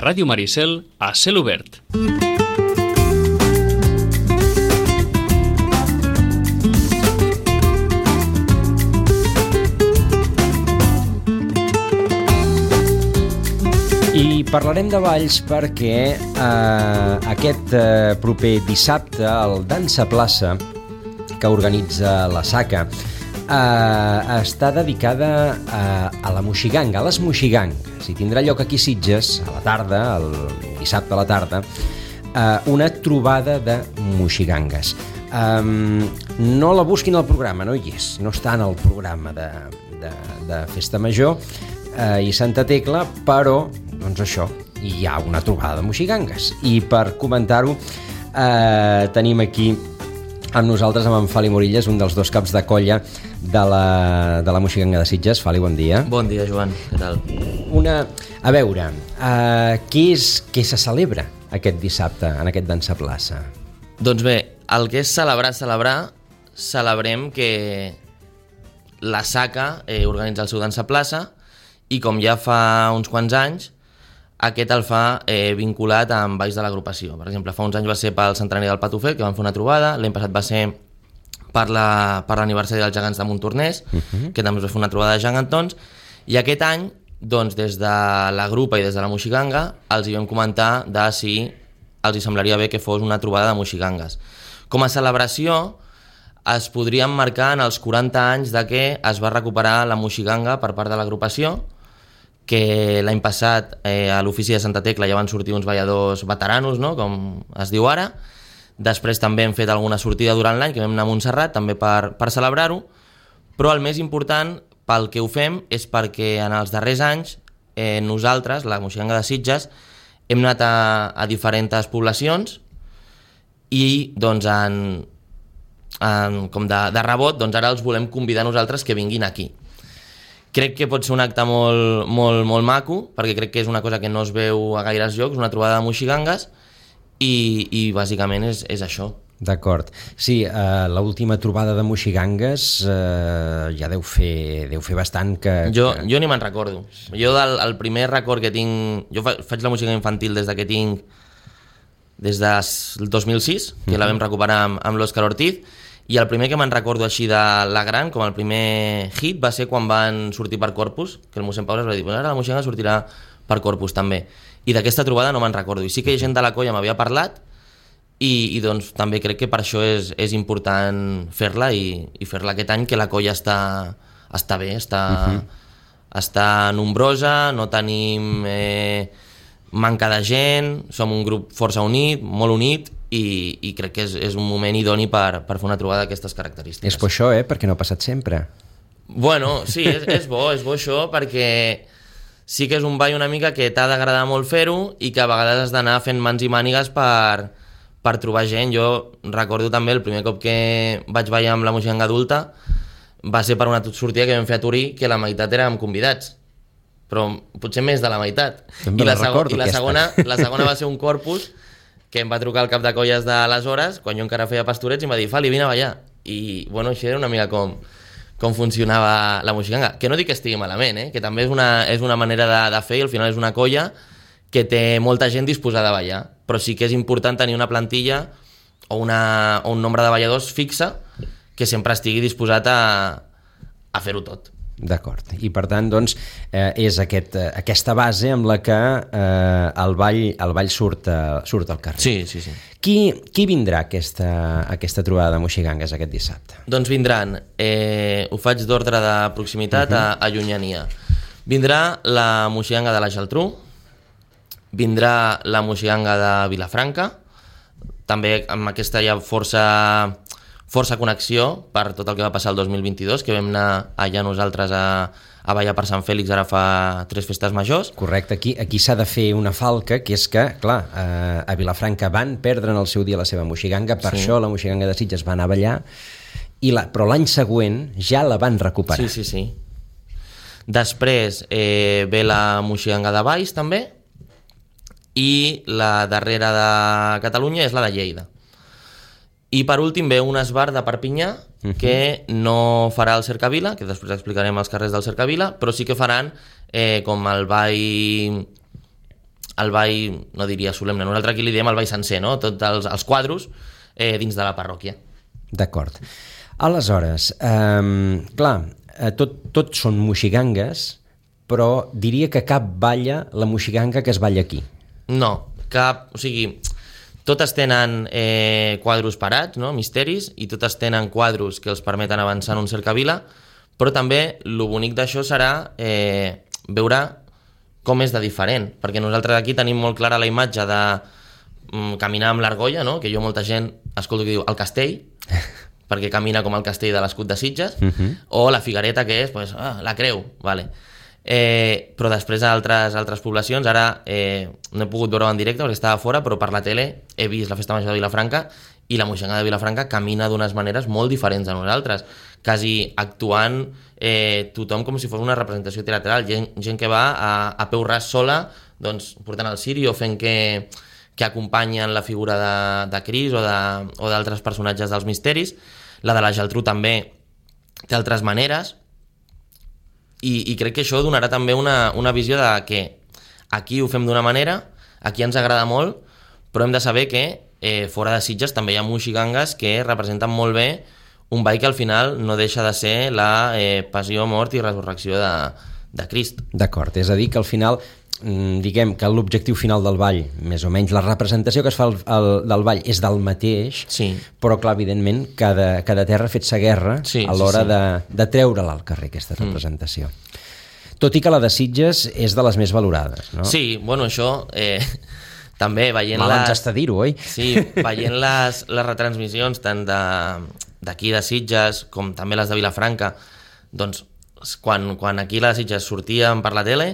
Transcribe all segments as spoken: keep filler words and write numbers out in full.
Ràdio Maricel, a cel obert. I parlarem de balls perquè eh, aquest eh, proper dissabte el Dansa Plaça que organitza la Saca eh, està dedicada a, a la moixiganga, a les moixigangues, i tindrà lloc aquí a Sitges a la tarda, el dissabte a la tarda, eh, una trobada de moixigangues. Um, no la busquin al programa, no hi és, no està en el programa de, de, de Festa Major eh, i Santa Tecla, però doncs això, hi ha una trobada de moixigangues. I per comentar-ho eh, tenim aquí amb nosaltres amb en Fali Morillas, un dels dos caps de colla de la, de la moixiganga de Sitges. Fali, bon dia. Bon dia, Joan, què tal? Una, a veure, eh, què és què se celebra aquest dissabte en aquest Dansa Plaça? Doncs bé, el que és celebrar, celebrar, celebrem que la Saca eh, organitza el seu Dansa Plaça i com ja fa uns quants anys, aquest el fa eh, vinculat amb balls de l'agrupació. Per exemple, fa uns anys va ser pel centenari del Patufet, que van fer una trobada, l'any passat va ser per la, per l'aniversari dels gegants de Montornès, uh-huh. que també es va fer una trobada de gegantons, i aquest any, doncs, des de la grupa i des de la moixiganga, els hi vam comentar de si els hi semblaria bé que fos una trobada de moixigangues. Com a celebració, es podria emmarcar en els quaranta anys de que es va recuperar la moixiganga per part de l'agrupació, que l'any passat eh, a l'ofici de Santa Tecla ja van sortir uns balladors veteranos, no? Com es diu ara. Després també hem fet alguna sortida durant l'any, que vam anar a Montserrat també per, per celebrar-ho, però el més important pel que ho fem és perquè en els darrers anys eh, nosaltres, la moixiganga de Sitges, hem anat a, a diferents poblacions i doncs en, en, com de, de rebot doncs ara els volem convidar nosaltres que vinguin aquí. Crec que pot ser un acte molt, molt, molt maco, perquè crec que és una cosa que no es veu a gaires llocs, una trobada de moixigangues, i, i bàsicament és, és això. D'acord. Sí, eh, l'última trobada de moixigangues eh, ja deu fer, deu fer bastant que... Jo, que... jo ni me'n recordo. Jo del el primer record que tinc... Jo fa, faig la moixiganga infantil des de que tinc... des del dos mil sis, que uh-huh. la vam recuperar amb, amb l'Òscar Ortiz, i el primer que me'n recordo així de la gran, com el primer hit, va ser quan van sortir per Corpus, que el mossèn Pau es va dir, ara la moixiganga sortirà per Corpus també. I d'aquesta trobada no me'n recordo. I sí que gent de la colla m'havia parlat, i, i doncs també crec que per això és, és important fer-la, i, i fer-la aquest any, que la colla està, està bé, està, uh-huh. està nombrosa, no tenim eh, manca de gent, som un grup força unit, molt unit, i, i crec que és, és un moment idoni per, per fer una trobada d'aquestes característiques. És per això, eh? Perquè no ha passat sempre. Bueno, sí, és, és bo, és bo això, perquè sí que és un ball una mica que t'ha d'agradar molt fer-ho i que a vegades has d'anar fent mans i mànigues per, per trobar gent. Jo recordo també el primer cop que vaig ballar amb la moixiganga adulta va ser per una sortida que vam fer a Turí, que la meitat érem convidats, però potser més de la meitat. També I la, la recordo, i la aquesta. segona, la segona va ser un Corpus, que em va trucar el cap de colles d'aleshores, quan jo encara feia pastorets, i em va dir, Fali, vine a ballar. I, bueno, això era una mica com, com funcionava la moixiganga. Que no dic que estigui malament, eh? Que també és una, és una manera de, de fer, i al final és una colla que té molta gent disposada a ballar. Però sí que és important tenir una plantilla o, una, o un nombre de balladors fixa que sempre estigui disposat a, a fer-ho tot. D'acord. I per tant, doncs, eh, és aquest, eh, aquesta base amb la que eh, el ball, el ball surt, eh, surt al carrer. Sí, sí, sí. Qui, qui vindrà a aquesta, a aquesta trobada de moixigangues aquest dissabte? Doncs vindran, eh, ho faig d'ordre de proximitat uh-huh. a, a llunyania. Vindrà la moixiganga de la Geltrú, vindrà la moixiganga de Vilafranca, també amb aquesta hi ha força... força connexió per tot el que va passar el dos mil vint-i-dos, que vam anar allà nosaltres a, a ballar per Sant Fèlix ara fa tres festes majors. Correcte, aquí, aquí s'ha de fer una falca, que és que, clar, eh, a Vilafranca van perdre en el seu dia la seva moixiganga, per sí. això la moixiganga de Sitges va anar a ballar, i la, però l'any següent ja la van recuperar. Sí, sí, sí. Després eh, ve la moixiganga de Valls també, i la darrera de Catalunya és la de Lleida. I per últim ve un esbar de Perpinyà uh-huh. que no farà el Cercavila, que després explicarem els carrers del Cercavila, però sí que faran eh, com el ball el ball, no diria solemne, nosaltres aquí li diem el ball sencer, no? Tots els, els quadros eh, dins de la parròquia. D'acord. Aleshores, eh, clar, tot, tot són moxigangues, però diria que cap balla la moxiganga que es balla aquí. No, cap... O sigui, totes tenen eh, quadros parats, no? Misteris, i totes tenen quadros que els permeten avançar en un cercavila, però també el bonic d'això serà eh, veure com és de diferent, perquè nosaltres aquí tenim molt clara la imatge de mm, caminar amb l'argolla, no? Que jo molta gent escolto que diu el castell, perquè camina com el castell de l'escut de Sitges, uh-huh. o la figuereta, que és pues, ah, la creu, vale. Eh, però després d'altres altres poblacions, ara eh, no he pogut veure en directe perquè estava fora, però per la tele he vist la Festa Major de Vilafranca i la moixiganga de Vilafranca camina d'unes maneres molt diferents de nosaltres, quasi actuant eh, tothom com si fos una representació teatral, gent, gent que va a, a peu ras sola, doncs portant el ciri o fent que, que acompanyen la figura de, de Cris o d'altres personatges dels misteris. La de la Geltrú també té altres maneres, i, i crec que això donarà també una, una visió de que aquí ho fem d'una manera, aquí ens agrada molt, però hem de saber que eh, fora de Sitges també hi ha moxigangues que representen molt bé un ball que al final no deixa de ser la eh, passió, mort i resurrecció de, de Crist. D'acord, és a dir que al final, diguem que l'objectiu final del ball, més o menys la representació que es fa el, el, del ball és del mateix, sí. però clar, evidentment, cada, cada terra ha fet sa guerra sí, a l'hora sí, sí. de, de treure-la al carrer, aquesta representació. Mm. Tot i que la de Sitges és de les més valorades, no? Sí, bueno, això... Eh... També veient Mal les... ens està dir-ho, oi? Sí, veient les, les retransmissions tant d'aquí de, de Sitges com també les de Vilafranca, doncs quan, quan aquí les Sitges sortíem per la tele,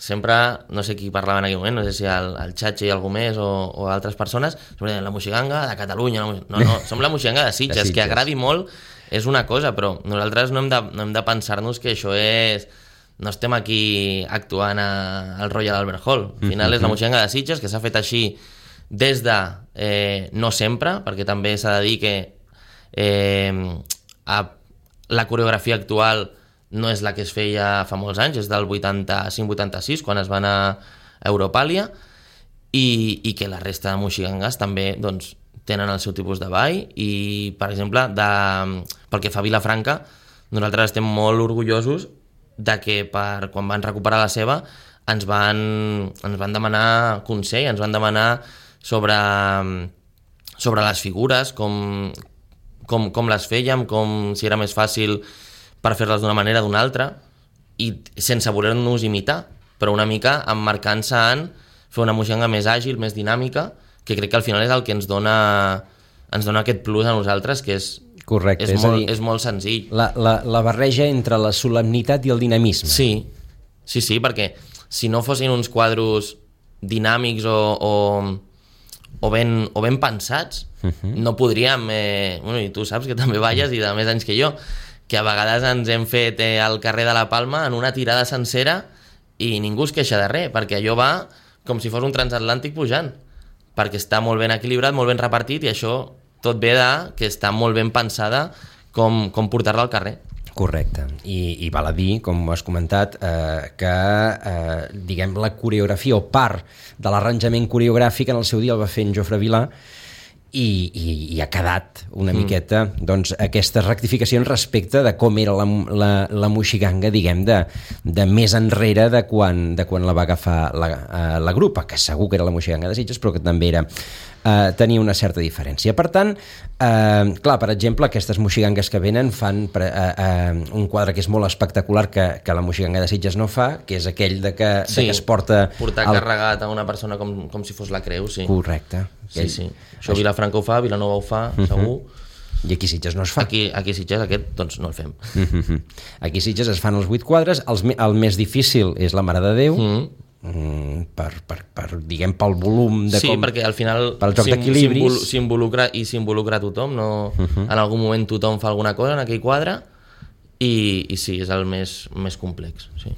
sempre, no sé qui parlava en aquell moment, no sé si el, el Xatxi i algú més o, o altres persones, sempre deien la moxiganga de Catalunya, la no, no, som la moxiganga de Sitges, de Sitges, que agradi molt és una cosa, però nosaltres no hem de, no hem de pensar-nos que això és... No estem aquí actuant a, al Royal Albert Hall. Al final mm-hmm. és la moxiganga de Sitges, que s'ha fet així des de... Eh, no sempre, perquè també s'ha de dir que eh, a, la coreografia actual no és la que es feia fa molts anys, és del vuitanta-cinc vuitanta-sis, quan es va anar a Europàlia, i, i que la resta de moxigangues també doncs, tenen el seu tipus de ball, i, per exemple, de, pel que fa a Vilafranca, nosaltres estem molt orgullosos de que per, quan van recuperar la seva ens van, ens van demanar consell, ens van demanar sobre, sobre les figures, com, com, com les fèiem, com si era més fàcil per fer-les d'una manera o d'una altra, i sense voler-nos imitar, però una mica emmarcant-se en fer una moixiganga més àgil, més dinàmica, que crec que al final és el que ens dona, ens dona aquest plus a nosaltres, que és correcte, és, és, molt, a dir, és molt senzill. La, la, la barreja entre la solemnitat i el dinamisme. Sí, sí, sí, perquè si no fossin uns quadros dinàmics o, o, o, ben, o ben pensats, uh-huh. no podríem... Eh, bueno, i tu saps que també balles i de més anys que jo, que a vegades ens hem fet eh, al carrer de la Palma en una tirada sencera i ningú es queixa de res, perquè allò va com si fos un transatlàntic pujant, perquè està molt ben equilibrat, molt ben repartit, i això... tot ve de que està molt ben pensada com, com portar-la al carrer. Correcte, I, i val a dir, com has comentat, eh, que eh, diguem la coreografia o part de l'arranjament coreogràfic en el seu dia el va fer en Jofre Vilà, i, i, i ha quedat una mm. miqueta doncs, aquestes rectificacions respecte de com era la, la, la moixiganga, diguem, de, de més enrere de quan, de quan la va agafar la, uh, la grupa, que segur que era la moixiganga de Sitges, però que també era Uh, tenia una certa diferència. Per tant, uh, clar, per exemple, aquestes moxigangues que venen fan pre, uh, uh, un quadre que és molt espectacular que, que la moxiganga de Sitges no fa, que és aquell de que, sí, de que es porta... portar el... carregat a una persona com, com si fos la creu, sí. Correcte. Sí, sí. Això Vilafranca ho fa, Vilanova ho fa, uh-huh. segur. I aquí Sitges no es fa. Aquí, aquí Sitges aquest, doncs no el fem. Uh-huh. Aquí Sitges es fan els vuit quadres, els, el més difícil és la Mare de Déu, uh-huh. Mm, per, per, per, diguem, pel volum de sí, com... perquè al final pel joc d'equilibris s'involucra i s'involucra tothom, no? Uh-huh. En algun moment tothom fa alguna cosa en aquell quadre i, i sí, és el més, més complex, sí.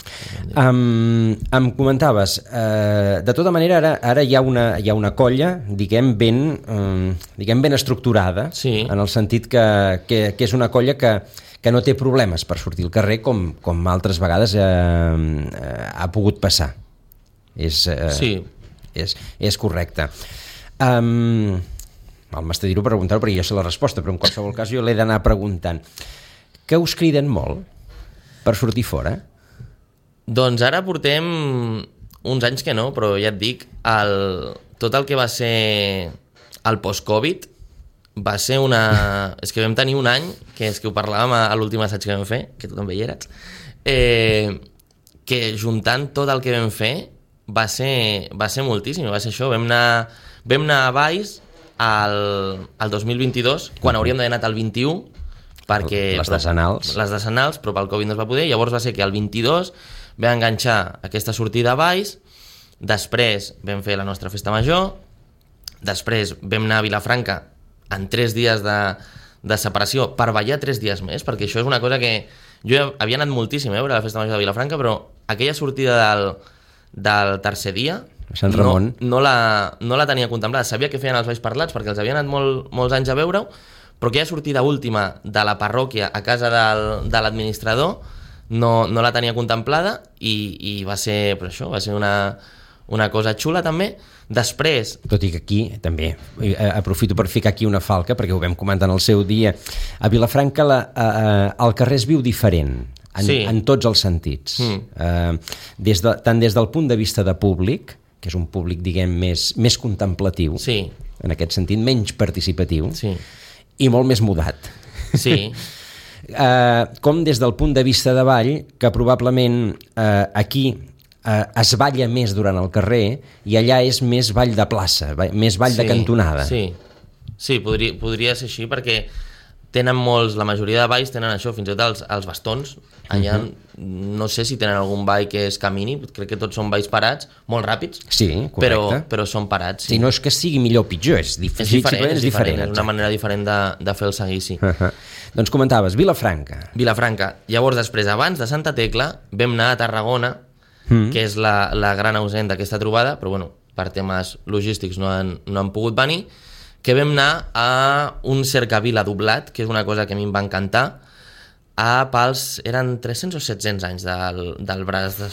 Um, em comentaves, uh, de tota manera ara, ara hi, ha una, hi ha una colla, diguem, ben, um, diguem, ben estructurada, sí. en el sentit que, que, que és una colla que que no té problemes per sortir al carrer com, com altres vegades eh, eh, ha pogut passar. És, eh, sí. és, és correcte. Um, el m'està dir-ho per preguntar-ho perquè jo sé la resposta, però en qualsevol cas jo l'he d'anar preguntant. Que us criden molt per sortir fora? Doncs ara portem uns anys que no, però ja et dic, el, tot el que va ser el post-Covid va ser una... És que vam tenir un any, que és que ho parlàvem a, a l'últim assaig que vam fer, que tu també hi eres, eh, que juntant tot el que vam fer va ser, va ser moltíssim, va ser això. Vam anar, vam anar a Valls el, el dos mil vint-i-dos, quan hauríem d'haver anat al vint-i-u, perquè... Les decenals. Les decenals, però pel Covid no es va poder. Llavors va ser que el vint-i-dos vam enganxar aquesta sortida a Valls, després vam fer la nostra festa major, després vam anar a Vilafranca en tres dies de, de separació per ballar tres dies més, perquè això és una cosa que jo havia anat moltíssim eh, a veure la festa major de Vilafranca, però aquella sortida del, del tercer dia Sant Ramon. No, no, la, no la tenia contemplada. Sabia que feien els balls parlats perquè els havia anat molt, molts anys a veure-ho, però aquella sortida última de la parròquia a casa del, de l'administrador no, no la tenia contemplada i, i va ser, per això, va ser una, una cosa xula també. Després... Tot i que aquí, també, aprofito per ficar aquí una falca, perquè ho vam comentar en el seu dia, a Vilafranca la, uh, el carrer es viu diferent, en, sí. en tots els sentits. Mm. Uh, des de, tant des del punt de vista de públic, que és un públic, diguem, més, més contemplatiu, sí. en aquest sentit, menys participatiu, sí. i molt més mudat. Sí. uh, com des del punt de vista de ball, que probablement uh, aquí uh, es balla més durant el carrer i allà és més ball de plaça, més ball sí, de cantonada. Sí, sí podria, podria ser així perquè tenen molts, la majoria de balls tenen això, fins i tot els, els bastons. Allà uh-huh. no sé si tenen algun ball que és camini, crec que tots són balls parats, molt ràpids, sí, però, però són parats. Sí. Si no és que sigui millor o pitjor, és, dif- és diferent, és, és diferent, diferent. És una manera diferent de, de fer el seguici. Uh-huh. Doncs comentaves, Vilafranca. Vilafranca. Llavors, després, abans de Santa Tecla, vam anar a Tarragona, mm. que és la, la gran ausent d'aquesta trobada, però bueno, per temes logístics no han, no han pogut venir, que vam anar a un cercavila doblat, que és una cosa que a mi em va encantar, a pals, eren tres-cents o set-cents anys del, del braç de...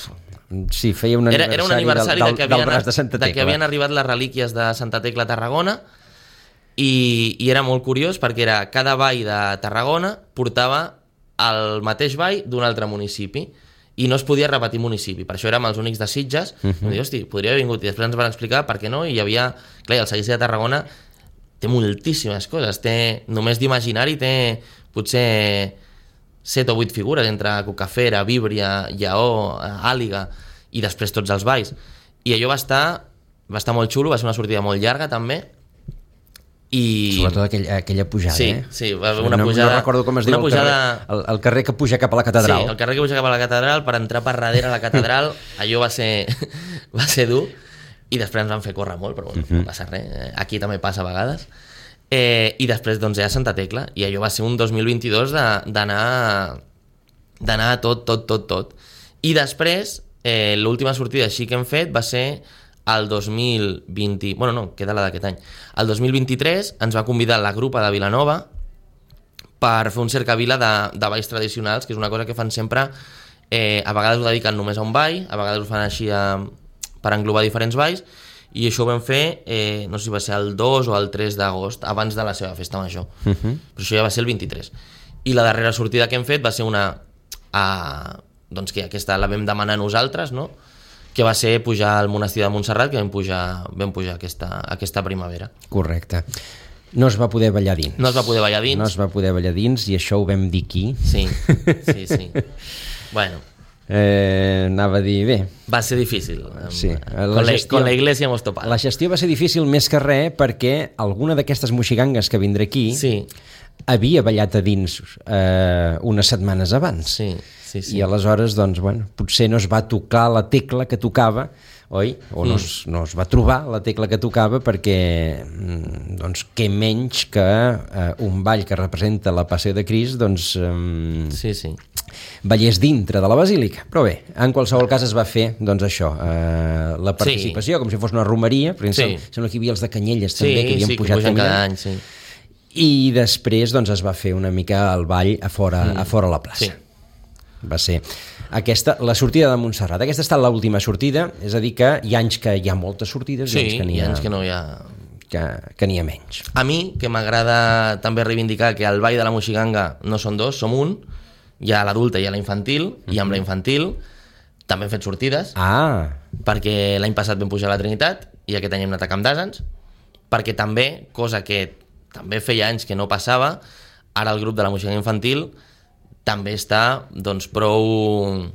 Sí, feia un aniversari, era, era un aniversari del, del, que del, havien, del braç de Santa Tecla. De que havien arribat les relíquies de Santa Tecla a Tarragona, i, i era molt curiós perquè era cada ball de Tarragona portava el mateix ball d'un altre municipi i no es podia repetir municipi, per això érem els únics de Sitges. Uh-huh. I em dic, hosti, podria haver vingut, i després ens van explicar per què no, i hi havia, clar, el seguici de Tarragona té moltíssimes coses, té, només d'imaginari té potser set o vuit figures entre Cucafera, Víbria, Lleó, Àliga i després tots els balls, i allò va estar va estar molt xulo, va ser una sortida molt llarga també, i... Sobretot aquell, aquella pujada, sí, eh? Sí, va haver una no, pujada... No recordo com es diu el, pujada... carrer, el, el carrer que puja cap a la catedral. Sí, el carrer que puja cap a la catedral, per entrar per darrere a la catedral, allò va ser, va ser dur, i després ens van fer córrer molt, però bueno, uh-huh. no passa res, aquí també passa a vegades. Eh, I després doncs ja a Santa Tecla, i allò va ser un dos mil vint-i-dos d'anar d'anar a tot, tot, tot, tot. I després, eh, l'última sortida així que hem fet va ser el dos mil vint... Bueno, no, queda la d'aquest any. El dos mil vint-i-tres ens va convidar la grupa de Vilanova per fer un cercavila de, de balls tradicionals, que és una cosa que fan sempre, eh, a vegades ho dediquen només a un ball, a vegades ho fan així a, per englobar diferents balls, i això ho vam fer, eh, no sé si va ser el dos o el tres d'agost, abans de la seva festa major. Uh-huh. Però això ja va ser el vint-i-tres. I la darrera sortida que hem fet va ser una... A, doncs que aquesta la vam demanar nosaltres, no? Que va ser pujar al monestir de Montserrat, que vam pujar, vam pujar aquesta, aquesta primavera. Correcte. No es va poder ballar dins. No es va poder ballar dins. No es va poder ballar dins, i això ho vam dir aquí. Sí, sí, sí. Bueno... Eh, anava a dir, bé, va ser difícil, sí. la con, gestió, la, con la iglesia hemos topado. La gestió va ser difícil més que res perquè alguna d'aquestes moxigangues que vindrà aquí sí. havia ballat a dins eh, unes setmanes abans, sí, sí, sí. i aleshores doncs, bueno, potser no es va tocar la tecla que tocava, oi? O no, mm. es, no es va trobar la tecla que tocava perquè doncs, què menys que eh, un ball que representa la Passió de Crist doncs eh, sí, sí. ballés dintre de la basílica, però bé, en qualsevol cas es va fer doncs això, eh, la participació, sí. com si fos una romeria, perquè sí. sembla, sembla que hi havia els de Canyelles també, sí, que havien sí, pujat que cada any, sí. i després doncs es va fer una mica el ball a fora, mm. a fora la plaça. Sí. va ser aquesta, la sortida de Montserrat. Aquesta ha estat l'última sortida, és a dir que hi ha anys que hi ha moltes sortides sí, i anys que n'hi ha, ha, anys que no hi ha... que, que n'hi ha menys. A mi, que m'agrada també reivindicar que el ball de la Moixiganga no són dos, som un, hi ha l'adulta i hi ha la infantil, mm-hmm. i amb la infantil també hem fet sortides, Ah. perquè l'any passat vam pujar a la Trinitat i aquest any hem anat a Camp d'Àsens, perquè també, cosa que també feia anys que no passava, ara el grup de la Moixiganga infantil també està doncs prou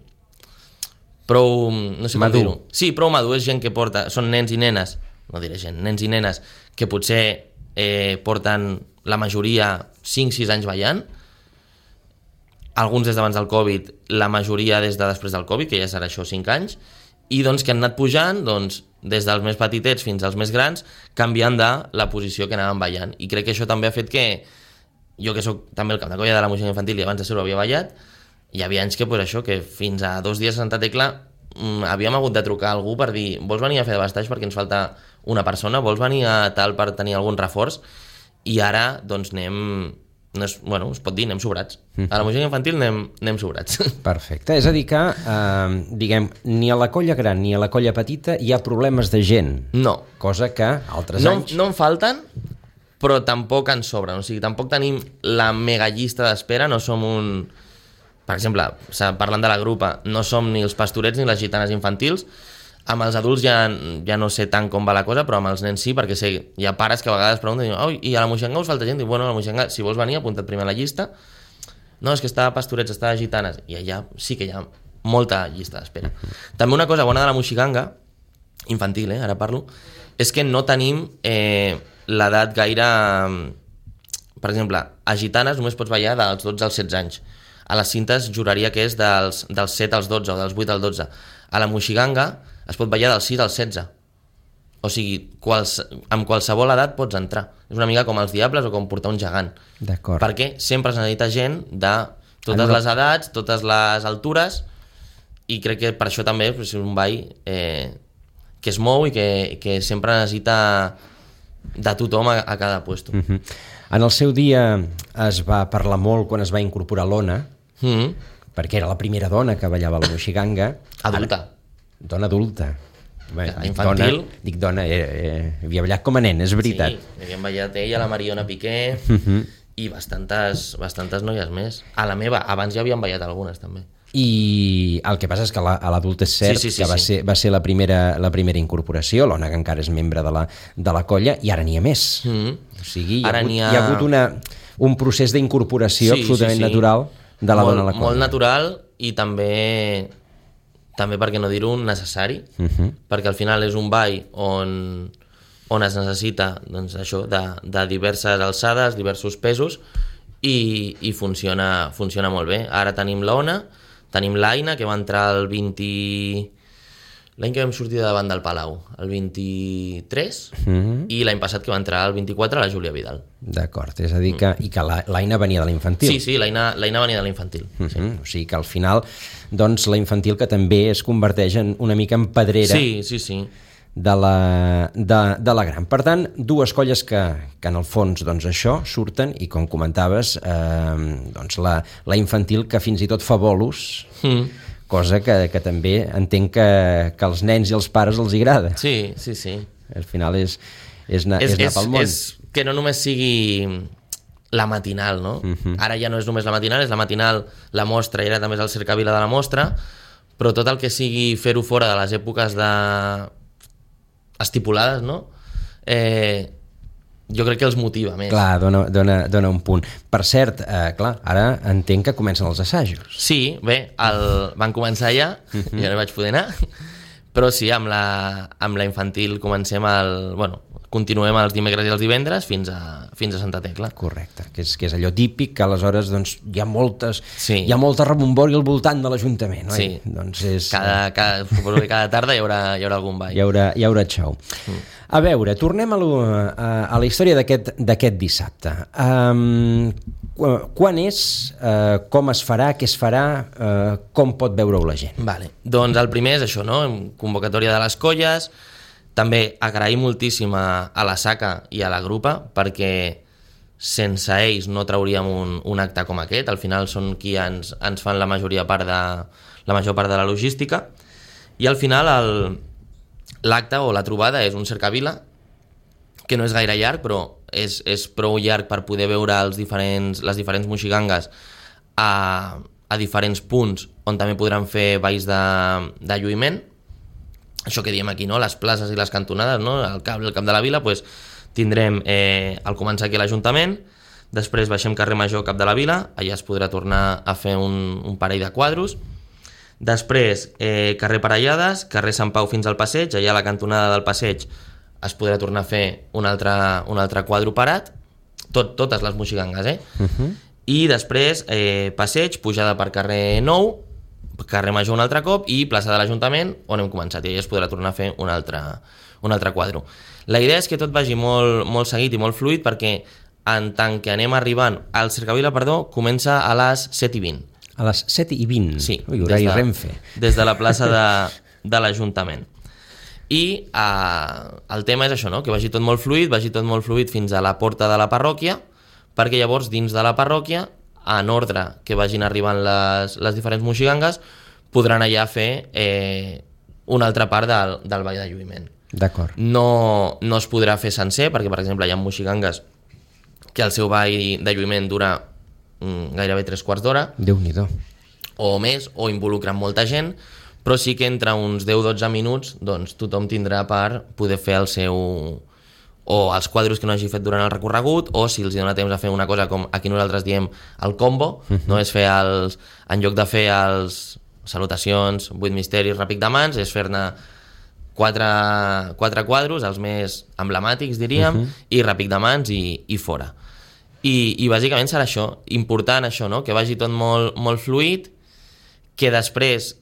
prou, no sé com dir-ho. Sí, prou madur, és gent que porta, són nens i nenes, no diré gent, nens i nenes que potser eh, porten la majoria cinc sis anys ballant, alguns des d'abans del Covid, la majoria des de després del Covid, que ja serà això cinc anys, i doncs que han anat pujant doncs, des dels més petitets fins als més grans, canviant de la posició que anaven ballant. I crec que això també ha fet que jo, que sóc també el cap de colla de la Moixiganga infantil i abans de ser-ho havia ballat, hi havia anys que, pues, això, que fins a dos dies a Santa Tecla mmm, havíem hagut de trucar a algú per dir vols venir a fer de bastaix perquè ens falta una persona, vols venir a tal per tenir algun reforç, i ara doncs anem, no és, bueno, es pot dir, anem sobrats. A la Moixiganga infantil anem, anem sobrats. Perfecte, és a dir que eh, diguem, ni a la colla gran ni a la colla petita hi ha problemes de gent. No. Cosa que altres no, anys... No en falten, però tampoc en sobren, o sigui, tampoc tenim la mega llista d'espera, no som un... Per exemple, parlant de la grupa, no som ni els pastorets ni les gitanes infantils, amb els adults ja, ja no sé tant com va la cosa, però amb els nens sí, perquè sé, hi ha pares que a vegades pregunten, oh, i a la Moixiganga us falta gent? Diu, bueno, a la Moixiganga, si vols venir, apunta't primer a la llista. No, és que està a pastorets, està a gitanes, i allà sí que hi ha molta llista d'espera. També una cosa bona de la Moixiganga, infantil, eh, ara parlo, és que no tenim eh, l'edat gaire... Per exemple, a gitanes només pots ballar dels dotze als setze anys. A les cintes juraria que és dels, dels set als dotze o dels vuit als dotze. A la Moixiganga es pot ballar dels sis als setze. O sigui, quals, amb qualsevol edat pots entrar. És una mica com els diables o com portar un gegant. D'acord. Perquè sempre es necessita gent de totes ah, no. les edats, totes les altures, i crec que per això també és un ball eh, que es mou i que, que sempre necessita de tothom a, a cada puesto. Uh-huh. En el seu dia es va parlar molt quan es va incorporar l'Ona, mm-hmm. perquè era la primera dona que ballava la Moixiganga. Adulta. Ara, dona adulta. Bé, infantil. Dona, dic dona, eh, eh, havia ballat com a nen, és veritat. Sí, havíem ballat ella, la Mariona Piqué, uh-huh. i bastantes, bastantes noies més. A la meva, abans ja havien ballat algunes també. I el que passa és que la, a l'adult és cert sí, sí, sí, que va, sí. ser, va ser la primera, la primera incorporació, l'Ona que encara és membre de la, de la colla, i ara n'hi ha més. Mm-hmm. O sigui, hi ha, ara hagut, hi ha... hi ha hagut una, un procés d'incorporació sí, absolutament sí, sí. natural de la molt, dona a la colla. Molt natural, i també, també per què no dir-ho, necessari, uh-huh. perquè al final és un ball on, on es necessita doncs, això, de, de diverses alçades, diversos pesos, i, i funciona, funciona molt bé. Ara tenim l'Ona, tenim l'Aina, que va entrar el vint... l'any que vam sortir de davant del Palau, el vint-i-tres, mm-hmm. i l'any passat que va entrar el vint-i-quatre la Júlia Vidal. D'acord, és a dir que, mm. i que l'Aina venia de la infantil. Sí, sí, l'Aina venia de la infantil. Mm-hmm. Sí. O sigui que al final, doncs, la infantil que també es converteix en una mica en pedrera. Sí, sí, sí. De la, de, de la gran. Per tant, dues colles que, que en el fons doncs això surten, i com comentaves eh, doncs la, la infantil que fins i tot fa bolos, mm. cosa que, que també entenc que, que als nens i als pares els agrada. Sí, sí, sí. Al final és, és, anar, és, és anar pel món. És que no només sigui la matinal, no? Uh-huh. Ara ja no és només la matinal, és la matinal, la mostra, i ara també és el cercavila de la mostra, però tot el que sigui fer-ho fora de les èpoques de... estipulades, no? Eh, jo crec que els motiva més. Clar, dona, dona, dona un punt. Per cert, eh, clar, ara entenc que comencen els assajos. Sí, bé, el... van començar ja, uh-huh. jo no vaig poder anar, però sí, amb la, amb la infantil comencem el... Bueno, continuem els dimecres i els divendres fins a, fins a Santa Tecla. Correcte, que és, que és allò típic que aleshores doncs, hi ha moltes sí. hi ha molta rebombori al voltant de l'Ajuntament, oi? Sí, doncs és... cada, cada, suposo que cada tarda hi haurà, hi haurà algun ball. Hi haurà, hi haurà xou. Mm. A veure, tornem a, lo, a, a la història d'aquest d'aquest dissabte. Um, quan és, uh, com es farà, què es farà, uh, com pot veure-ho la gent? Vale. Doncs el primer és això, no? Convocatòria de les colles. També agrair moltíssim a, a la Saca i a la grupa, perquè sense ells no trauríem un, un acte com aquest. Al final són qui ens, ens fan la majoria part de, la major part de la logística, i al final el, l'acte o la trobada és un cercavila que no és gaire llarg, però és, és prou llarg per poder veure els diferents, les diferents moxigangues a, a diferents punts on també podran fer balls de, de lluïment. Això que diem aquí, no? Les places i les cantonades, no? Al cap, al cap de la vila, pues, tindrem eh, al començar aquí l'Ajuntament, després baixem carrer Major, cap de la vila, allà es podrà tornar a fer un, un parell de quadros. Després eh, carrer Parellades, carrer Sant Pau fins al Passeig, allà a la cantonada del Passeig es podrà tornar a fer un altre, un altre quadro parat, tot, totes les moxigangues, eh? Uh-huh. I després eh, Passeig, pujada per carrer Nou, carrer Major un altre cop i plaça de l'Ajuntament, on hem començat, i allà es podrà tornar a fer un altre, un altre quadro. La idea és que tot vagi molt, molt seguit i molt fluid, perquè en tant que anem arribant, el cercavila, perdó, comença a les set i vint. A les set i vint? Sí. Ui, horari des de, Renfe. Des de la plaça de, de l'Ajuntament. I eh, el tema és això, no? Que vagi tot molt fluid, vagi tot molt fluid fins a la porta de la parròquia, perquè llavors dins de la parròquia, en ordre que vagin arribant les, les diferents moxigangues, podran allà fer eh, una altra part del, del ball de lluïment. D'acord. No, no es podrà fer sencer, perquè per exemple hi ha moxigangues que el seu ball de lluïment dura mm, gairebé tres quarts d'hora. Déu-n'hi-do. O més, o involucren molta gent, però sí que entre uns deu a dotze minuts doncs, tothom tindrà per poder fer el seu... o els quadros que no hagi fet durant el recorregut, o si els dona temps a fer una cosa com aquí nosaltres diem el combo, uh-huh. no és fer els... en lloc de fer els salutacions, vuit misteris, ràpic de mans, és fer-ne quatre, quatre quadros, els més emblemàtics, diríem, uh-huh. i ràpic de mans i, i fora. I, i bàsicament serà això, important això, no? Que vagi tot molt, molt fluid, que després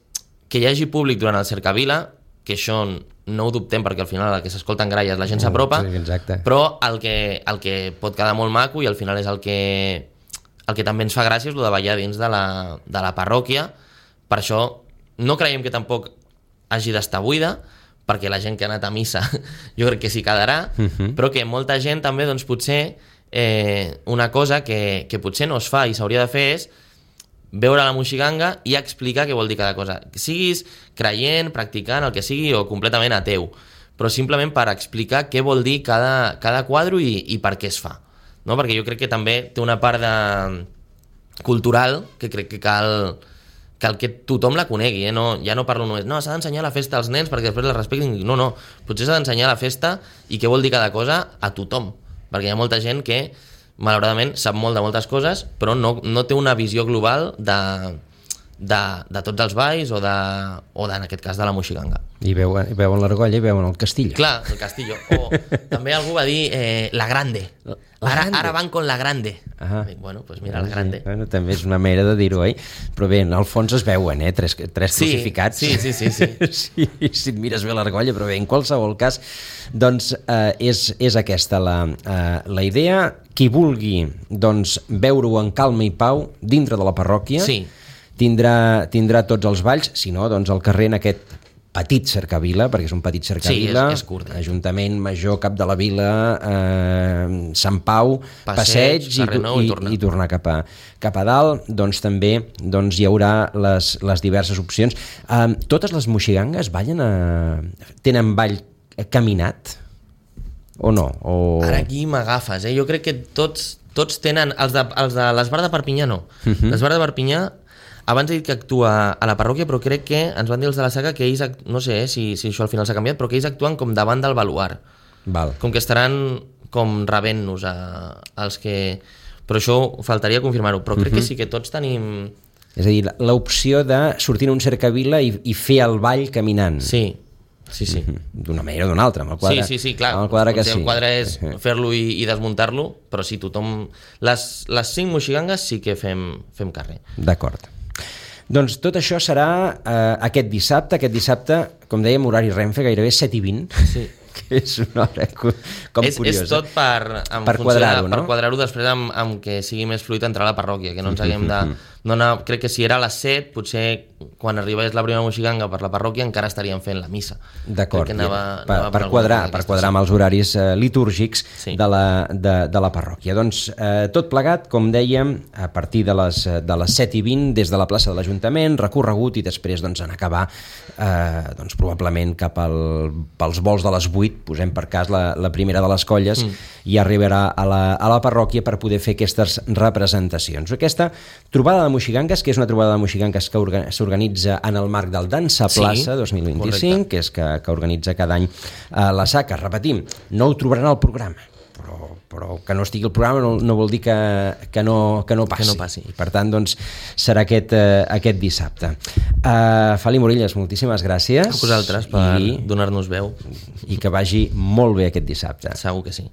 que hi hagi públic durant el cercavila, que això no ho dubtem perquè al final el que s'escolta en gralles la gent s'apropa, sí, però el que, el que pot quedar molt maco i al final és el que, el que també ens fa gràcia és el de ballar dins de la, de la parròquia. Per això no creiem que tampoc hagi d'estar buida, perquè la gent que ha anat a missa jo crec que s'hi quedarà, uh-huh. però que molta gent també doncs, potser eh, una cosa que, que potser no es fa i s'hauria de fer és veure la moxiganga i explicar què vol dir cada cosa. Que siguis creient, practicant, el que sigui, o completament ateu. Però simplement per explicar què vol dir cada, cada quadro i, i per què es fa. No? Perquè jo crec que també té una part de... cultural que crec que cal, cal que tothom la conegui. Eh? No, ja no parlo només, no, s'ha d'ensenyar la festa als nens perquè després la respectin. No, no, potser s'ha d'ensenyar la festa i què vol dir cada cosa a tothom. Perquè hi ha molta gent que malauradament sap molt de moltes coses, però no, no té una visió global de, de, de tots els balls o, de, o de, en aquest cas de la moxiganga. I veuen, veuen l'argolla i veuen el castillo. Clar, el castillo. O també algú va dir eh, la grande. La ara, grande. ara van con la grande. Ah. Bueno, pues mira, la grande. Sí, bueno, també és una manera de dir-ho, eh? Però bé, al fons es veuen, eh? Tres, tres sí, crucificats. Sí, sí, sí. sí. sí, si et mires bé l'argolla, però bé, en qualsevol cas, doncs eh, és, és aquesta la, eh, la idea. Qui vulgui doncs, veure-ho en calma i pau dintre de la parròquia, sí. tindrà, tindrà tots els balls, si no, doncs al carrer en aquest petit cercavila, perquè és un petit cercavila, sí, és, és curt, eh? Ajuntament Major, Cap de la Vila, eh, Sant Pau, Passeig, Passeig i, Nou, i, i, tornar. i tornar cap a, cap a dalt, doncs també doncs, hi haurà les, les diverses opcions. Eh, totes les moxigangues ballen a... tenen ball caminat o no? O... Ara aquí m'agafes, eh? Jo crec que tots, tots tenen... Els de, els de l'Esbar de Perpinyà no. Uh-huh. L'Esbar de Perpinyà abans he dit que actua a la parròquia, però crec que ens van dir els de la Saga que ells, no sé eh, si, si això al final s'ha canviat, però que ells actuen com davant del baluart. Val. Com que estaran com rebent-nos a, als que... Però això faltaria confirmar-ho, però crec uh-huh. que sí que tots tenim... És a dir, l'opció de sortir en un cercavila i, i fer el ball caminant. Sí, sí, sí. Uh-huh. D'una manera o d'una altra, amb el quadre. Sí, sí, sí, clar. Amb el quadre que sí. El quadre és fer-lo i, i desmuntar-lo, però sí, tothom... Les, les cinc moxigangues sí que fem, fem carrer. D'acord. Doncs tot això serà eh, aquest dissabte, aquest dissabte, com dèiem, horari Renfe, gairebé set i vint, sí. que és una hora com és, curiosa. És tot per, per quadrar-ho, no? Per quadrar-ho després amb, amb que sigui més fluid entrar a la parròquia, que no ens haguem de, no anava, crec que si era a les set, potser quan arribés la primera moixiganga per la parròquia encara estaríem fent la missa. D'acord, anava, per, anava per, per quadrar, per quadrar amb els horaris eh, litúrgics sí. de, la, de, de la parròquia. Doncs eh, tot plegat, com dèiem, a partir de les, de les set i vint, des de la plaça de l'Ajuntament, recorregut i després doncs, en acabar eh, doncs, probablement cap al, pels vols de les vuit, posem per cas la, la primera de les colles, mm. i arribarà a la, a la parròquia per poder fer aquestes representacions. Aquesta trobada de moixigangues, que és una trobada de moixigangues que s'organitza en el marc del Dansa Plaça sí, dos mil vint-i-cinc, correcte. Que és que, que organitza cada any eh, la SACA. Repetim, no ho trobaran al programa, però, però que no estigui al programa no, no vol dir que, que, no, que no passi. Que no passi. I per tant, doncs, serà aquest, eh, aquest dissabte. Uh, Feli Morillas, moltíssimes gràcies. A vosaltres per i, donar-nos veu. I que vagi molt bé aquest dissabte. Segur que sí.